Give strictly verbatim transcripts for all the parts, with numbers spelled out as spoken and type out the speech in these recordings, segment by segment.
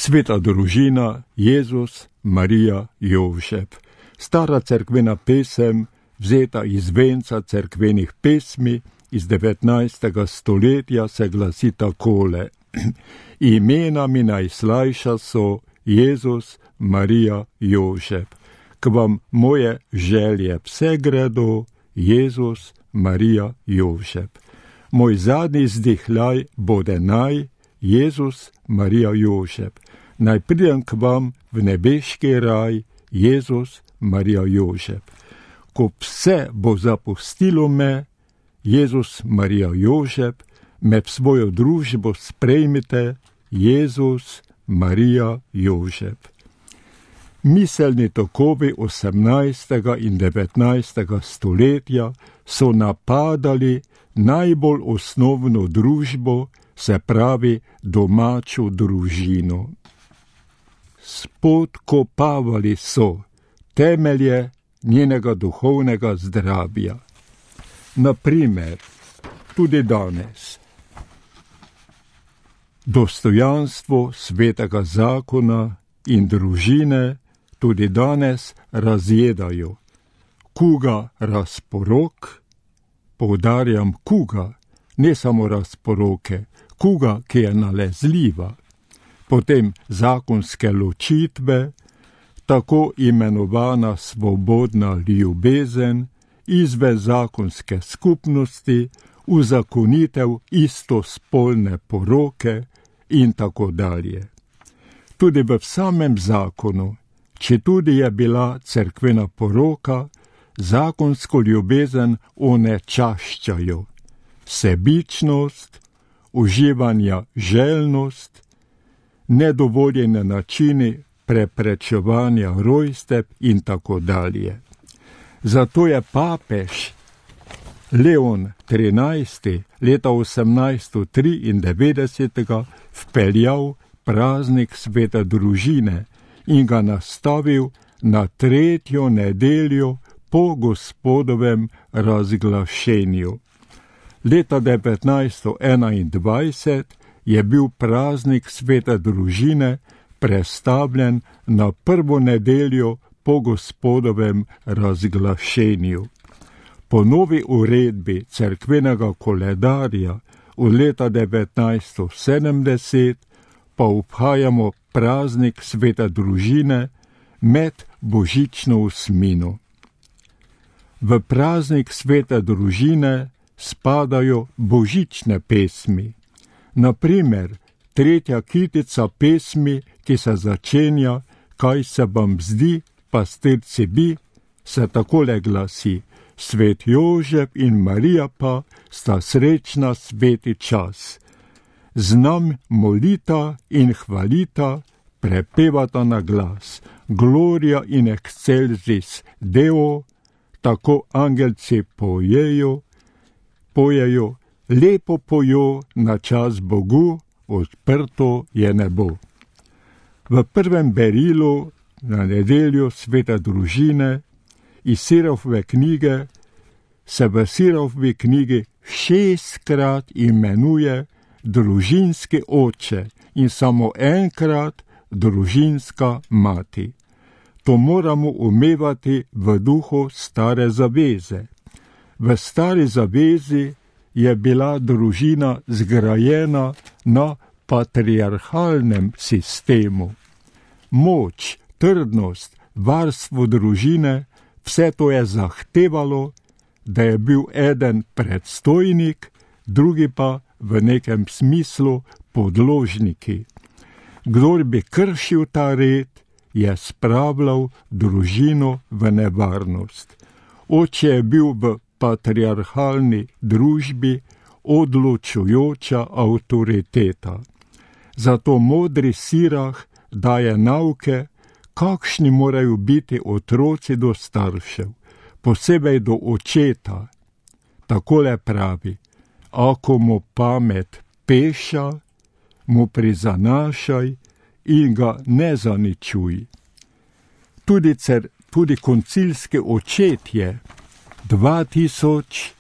Sveta družina, Jezus, Marija, Jozef. Stara cerkvena pesem, vzeta iz venca cerkvenih pesmi iz devetnajstega stoletja, se glasi takole. Imena mi najslajša so Jezus, Marija, Jozef. K vam moje želje vse gredo, Jezus, Marija, Jozef. Moj zadnji zdihljaj bode naj, Jezus, Marija, Jozef. Naj pridem k vam v nebeški raj, Jezus, Marija, Jozef. Ko vse bo zapustilo me, Jezus, Marija, Jozef, me v svojo družbo sprejmite, Jezus, Marija, Jozef. Miselni tokovi osemnajstega in devetnajstega stoletja so napadali najbolj osnovno družbo, se pravi domačo družino. Spodkopavali so temelje njenega duhovnega zdravja. Naprimer, tudi danes, dostojanstvo svetega zakona in družine tudi danes razjedajo. Kuga razporok, poudarjam kuga, ne samo razporoke, kuga, ki je nalezljiva. Potem zakonske ločitve, tako imenovana svobodna ljubezen, izven zakonske skupnosti, uzakonitev istospolne poroke in tako dalje. Tudi v samem zakonu, četudi je bila cerkvena poroka, zakonsko ljubezen onečaščajo. Sebičnost, uživanja željnost, nedovoljene načini preprečevanja rojstev in tako dalje. Zato je papež Leon trinajsti leta osemnajststo triindevetdeset vpeljal praznik svete družine in ga nastavil na tretjo nedeljo po Gospodovem razglašenju. Leta devetnajststo enaindvajset je bil praznik svete družine prestavljen na prvo nedeljo po Gospodovem razglašenju. Po novi uredbi cerkvenega koledarja od leta devetnajststo sedemdeset pa obhajamo praznik svete družine med božično osmino. V praznik svete družine spadajo božične pesmi. Naprimer, tretja kitica pesmi, ki se začenja Kaj se vam zdi, pastirci bi, se takole glasi: Svet Jožef in Marija pa sta srečna sveti čas. Znam molita in hvalita, prepevata na glas. Gloria in excelsis Deo, tako angelci pojejo, pojejo, lepo pojo na čas Bogu, odprto je nebo. V prvem berilu na nedeljo svete družine iz Sirofove knjige se v Sirofovi knjigi šestkrat imenuje družinski oče in samo enkrat družinska mati. To moramo umevati v duhu stare zaveze. V stari zavezi je bila družina zgrajena na patriarhalnem sistemu. Moč, trdnost, varstvo družine, vse to je zahtevalo, da je bil eden predstojnik, drugi pa v nekem smislu podložniki. Kdor bi kršil ta red, je spravljal družino v nevarnost. Oče je bil v patriarhalni družbi odločujoča avtoriteta. Zato modri Sirah daje nauke, kakšni morajo biti otroci do staršev, posebej do očeta. Takole pravi: ako mu pamet peša, mu prizanašaj in ga ne zaničuj. Tudi, cer, tudi koncilski očetje dva tisoč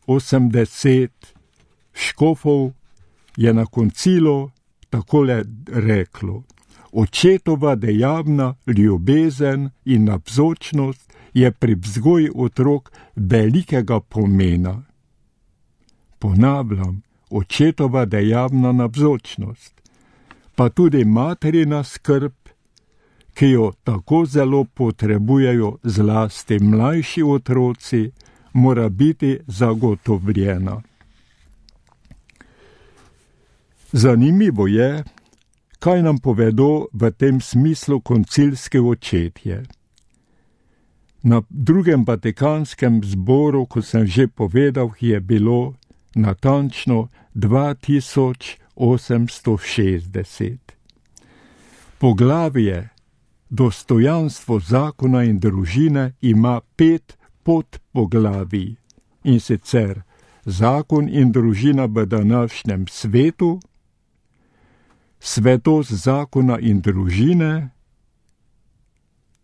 osemdeset škofov je na koncilu takole reklo: očetova dejavna ljubezen in navzočnost je pri vzgoji otrok velikega pomena. Ponavljam, očetova dejavna navzočnost, pa tudi materina skrb, ki jo tako zelo potrebujejo zlasti mlajši otroci, mora biti zagotovljena. Zanimivo je, kaj nam povedo v tem smislu koncilski očetje. Na drugem Vatikanskem zboru, kot sem že povedal, je bilo natančno dva tisoč osemsto šestdeset. Poglavje Dostojanstvo zakona in družine ima pet podpoglavij, in sicer zakon in družina v današnjem svetu, svetost zakona in družine,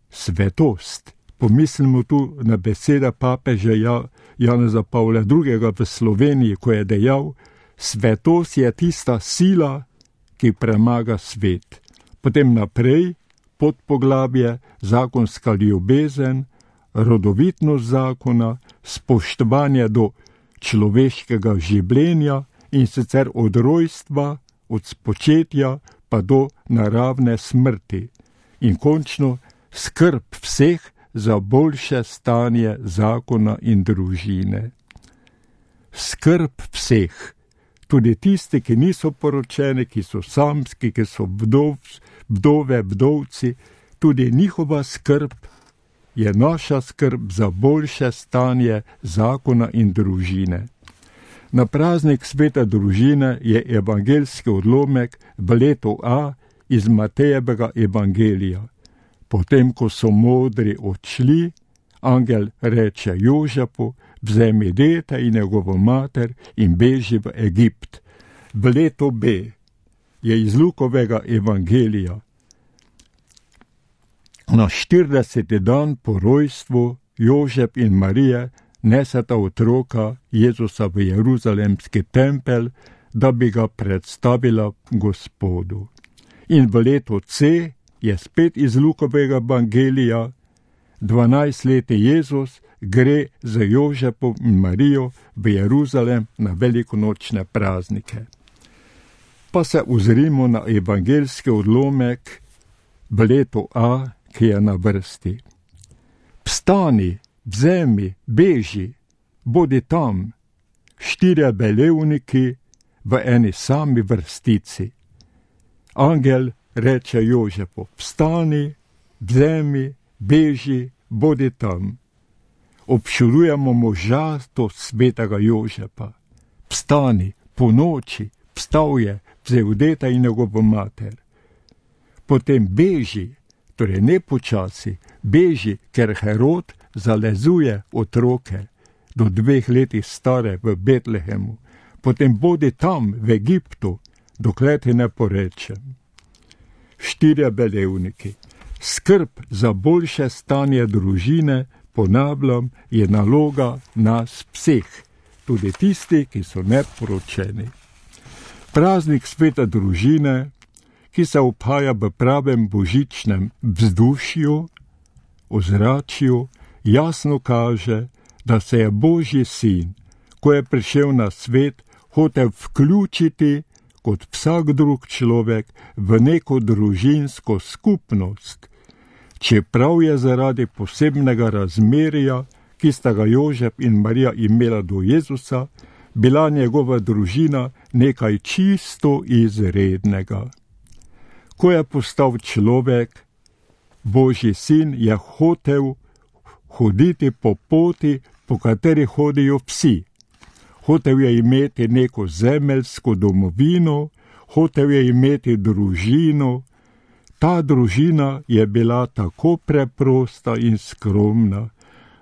svetost. Pomislimo tu na besede papeža Janeza Pavla drugega. v Sloveniji, ko je dejal: svetost je tista sila, ki premaga svet. Potem naprej podpoglavje zakonska ljubezen, rodovitnost zakona, spoštovanje do človeškega življenja, in sicer od rojstva, od spočetja pa do naravne smrti. In končno skrb vseh za boljše stanje zakona in družine. Skrb vseh, tudi tisti, ki niso poročeni, ki so samski, ki so vdov, vdove, vdovci, tudi njihova skrb je naša skrb za boljše stanje zakona in družine. Na praznik svete družine je evangeljski odlomek v letu A iz Matejevega evangelija. Potem, ko so modri odšli, angel reče Jožefu: vzemi dete in njegovo mater in beži v Egipt. V letu B je iz Lukovega evangelija. Na štirideseti dan po rojstvu Jožef in Marija neseta otroka Jezusa v jeruzalemski tempelj, da bi ga predstavila Gospodu. In v letu C je spet iz Lukovega evangelija, dvanajstleti Jezus gre z Jožefom in Marijo v Jeruzalem na velikonočne praznike. Pa se ozrimo na evangeljski odlomek v letu A, ki je na vrsti. Vstani, vzemi, beži, bodi tam, štirje velevniki v eni sami vrstici. Angel reče Jožefu: vstani, vzemi, beži, bodi tam. Občudujemo možatost svetega Jožefa. Vstani, po noči, vstal je, vzel dete in njegovo mater. Potem beži, torej ne počasi, beži, ker Herod zalezuje otroke do dveh letih stare v Betlehemu. Potem bodi tam, v Egiptu, dokler ti ne porečem. Štirje velevniki. Skrb za boljše stanje družine, ponavljam, je naloga nas vseh, tudi tisti, ki so neporočeni. Praznik svete družine, ki se obhaja v pravem božičnem vzdušju, ozračju, jasno kaže, da se je Božji sin, ko je prišel na svet, hotel vključiti kot vsak drug človek v neko družinsko skupnost, čeprav je zaradi posebnega razmerja, ki sta ga Jožef in Marija imela do Jezusa, bila njegova družina nekaj čisto izrednega. Ko je postal človek, Božji sin je hotel hoditi po poti, po kateri hodijo vsi. Hotel je imeti neko zemeljsko domovino, hotel je imeti družino. Ta družina je bila tako preprosta in skromna,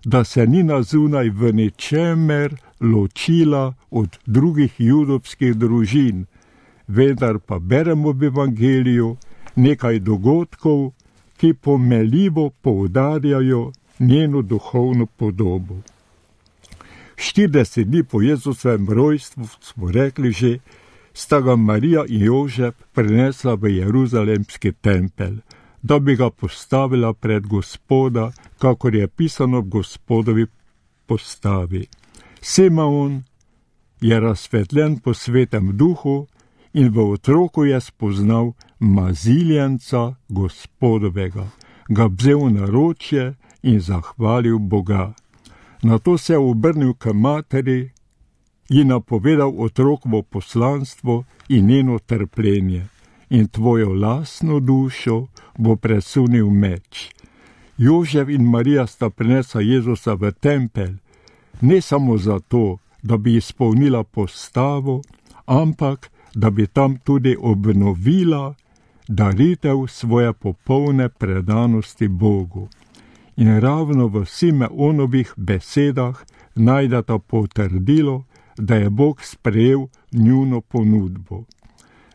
da se ni na zunaj v ničemer ločila od drugih judovskih družin, vendar pa beremo v evangeliju nekaj dogodkov, ki pomeljivo poudarjajo njeno duhovno podobo. štirideset dni po Jezusovem rojstvu, smo rekli že, sta ga Marija in Jožef prinesla v jeruzalemski tempelj, da bi ga postavila pred Gospoda, kakor je pisano v Gospodovi postavi. Simeon je razsvetljen po svetem duhu in v otroku je spoznal maziljenca Gospodovega, ga vzel na ročje in zahvalil Boga. Nato se je obrnil k materi in napovedal otrokovo poslanstvo in njeno trpljenje, in tvojo lastno dušo bo presunil meč. Jožef in Marija sta prinesla Jezusa v tempelj, ne samo zato, da bi izpolnila postavo, ampak da bi tam tudi obnovila daritev svoje popolne predanosti Bogu. In ravno v Simeonovih besedah najdeta potrdilo, da je Bog sprejel njuno ponudbo.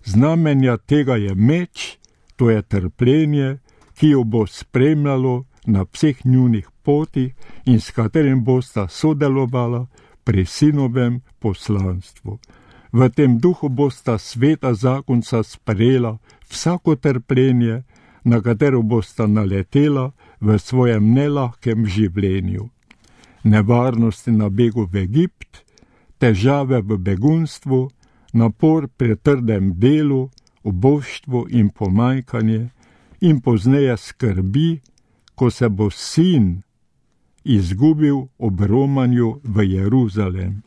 Znamenja tega je meč, to je trpljenje, ki jo bo spremljalo na vseh njunih potih in s katerim bosta sodelovala pri sinovem poslanstvu. V tem duhu bosta sveta zakonca sprejela vsako trpljenje, na katero bosta naletela v svojem nelahkem življenju. Nevarnosti na begu v Egipt, težave v begunstvu, napor pri trdem delu, uboštvo in pomanjkanje in pozneje skrbi, ko se bo sin izgubil ob romanju v Jeruzalem.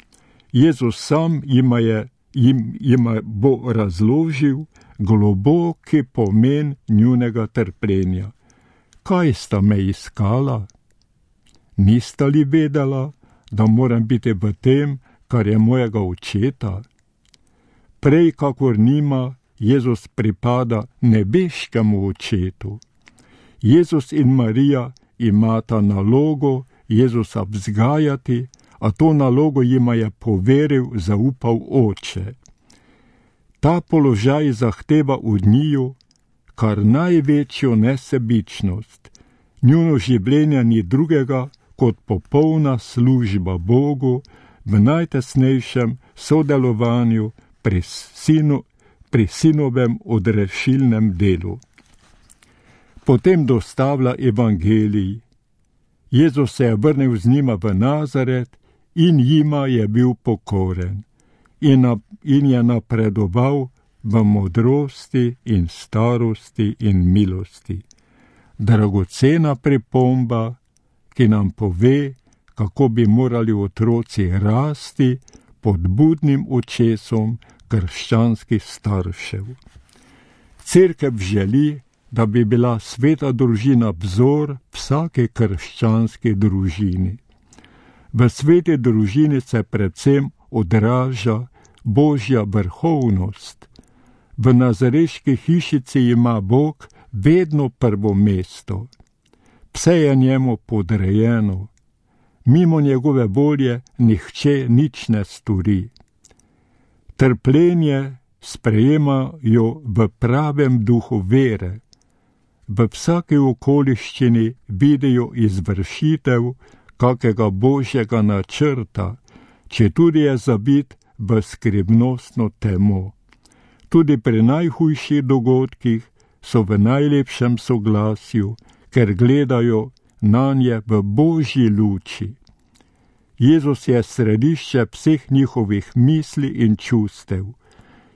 Jezus sam jima, je, jim, jima bo razložil globoki pomen njunega trpljenja. Kaj sta me iskala? Nista li vedela, da moram biti v tem, kar je mojega očeta? Prej, kakor njima, Jezus pripada nebeškemu očetu. Jezus in Marija imata nalogo Jezusa vzgajati, a to nalogo jima je poveril, zaupal oče. Ta položaj zahteva od njiju kar največjo nesebičnost. Njuno življenje ni drugega kot popolna služba Bogu v najtesnejšem sodelovanju pri, sinu, pri sinovem odrešilnem delu. Potem dostavlja evangelij. Jezus se je vrnil z njima v Nazaret in jima je bil pokoren in, na, in je napredoval v modrosti in starosti in milosti. Dragocena pripomba, ki nam pove, kako bi morali otroci rasti pod budnim očesom krščanskih staršev. Cerkev želi, da bi bila sveta družina vzor vsake krščanske družini. V sveti družini se predvsem odraža Božja vrhovnost. V nazareški hišici ima Bog vedno prvo mesto. Vse je njemu podrejeno. Mimo njegove volje nihče nič ne stori. Trpljenje sprejemajo v pravem duhu vere. V vsaki okoliščini vidijo izvršitev kakega Božjega načrta, četudi je zabit v skrivnostno temo. Tudi pri najhujših dogodkih so v najlepšem soglasju, ker gledajo nanje v Božji luči. Jezus je središče vseh njihovih misli in čustev.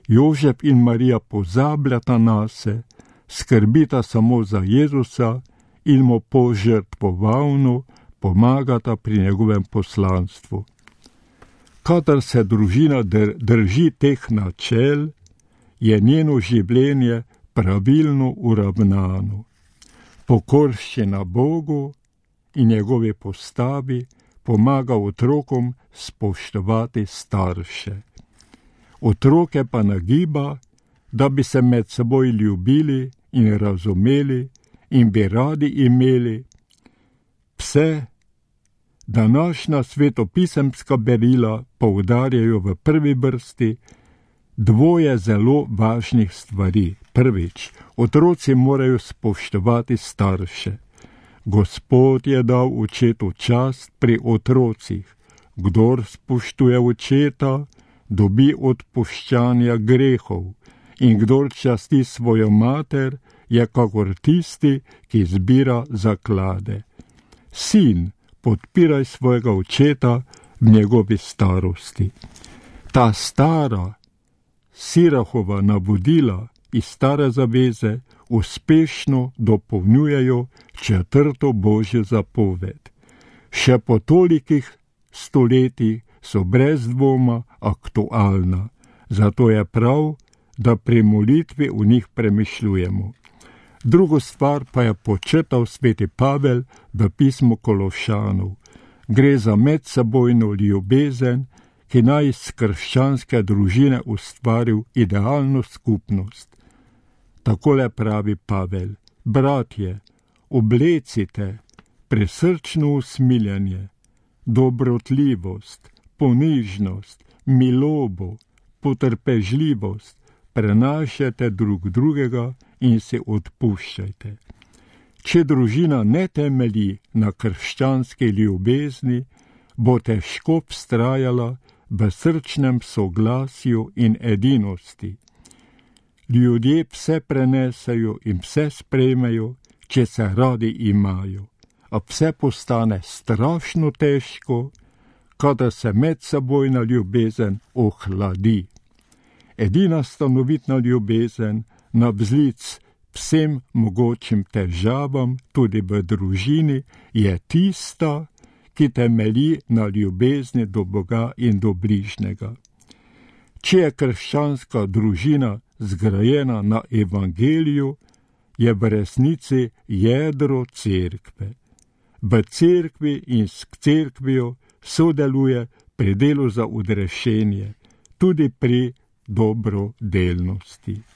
Jožef in Marija pozabljata nase, skrbita samo za Jezusa in mu požrtvovalno pomagata pri njegovem poslanstvu. Kadar se družina drži teh načel, je njeno življenje pravilno uravnano. Pokorščina Bogu in njegovi postavi pomaga otrokom spoštovati starše. Otroke pa nagiba, da bi se med seboj ljubili in razumeli in bi radi imeli vse. Današnja svetopisemska berila poudarjajo v prvi vrsti dvoje zelo važnih stvari. Prvič, otroci morajo spoštovati starše. Gospod je dal očetu čast pri otrocih. Kdor spoštuje očeta, dobi odpuščanja grehov, in kdor časti svojo mater, je kakor tisti, ki zbira zaklade. Sin, podpiraj svojega očeta v njegovi starosti. Ta stara, Sirahova navodila iz stare zaveze uspešno dopolnjujejo četrto božjo zapoved. Še po tolikih stoletjih so brez dvoma aktualna, zato je prav, da pri molitvi v njih premišljujemo. Drugo stvar pa je počrtal sveti Pavel v pismu Kološanov. Gre za medsebojno ljubezen, ki naj iz krščanske družine ustvaril idealno skupnost. Takole pravi Pavel: bratje, oblecite presrčno usmiljenje, dobrotljivost, ponižnost, milobo, potrpežljivost, prenašajte drug drugega in se odpuščajte. Če družina ne temelji na krščanski ljubezni, bo težko vztrajala v srčnem soglasju in edinosti. Ljudje vse prenesejo in vse sprejmejo, če se radi imajo, a vse postane strašno težko, kadar se medsebojna ljubezen ohladi. Edina stanovitna ljubezen navzlic vsem mogočim težavam, tudi v družini, je tista, ki temelji na ljubezni do Boga in do bližnjega. Če je krščanska družina zgrajena na evangeliju, je v resnici jedro cerkve. V cerkvi in s cerkvijo sodeluje pri delu za odrešenje, tudi pri dobrodelnosti.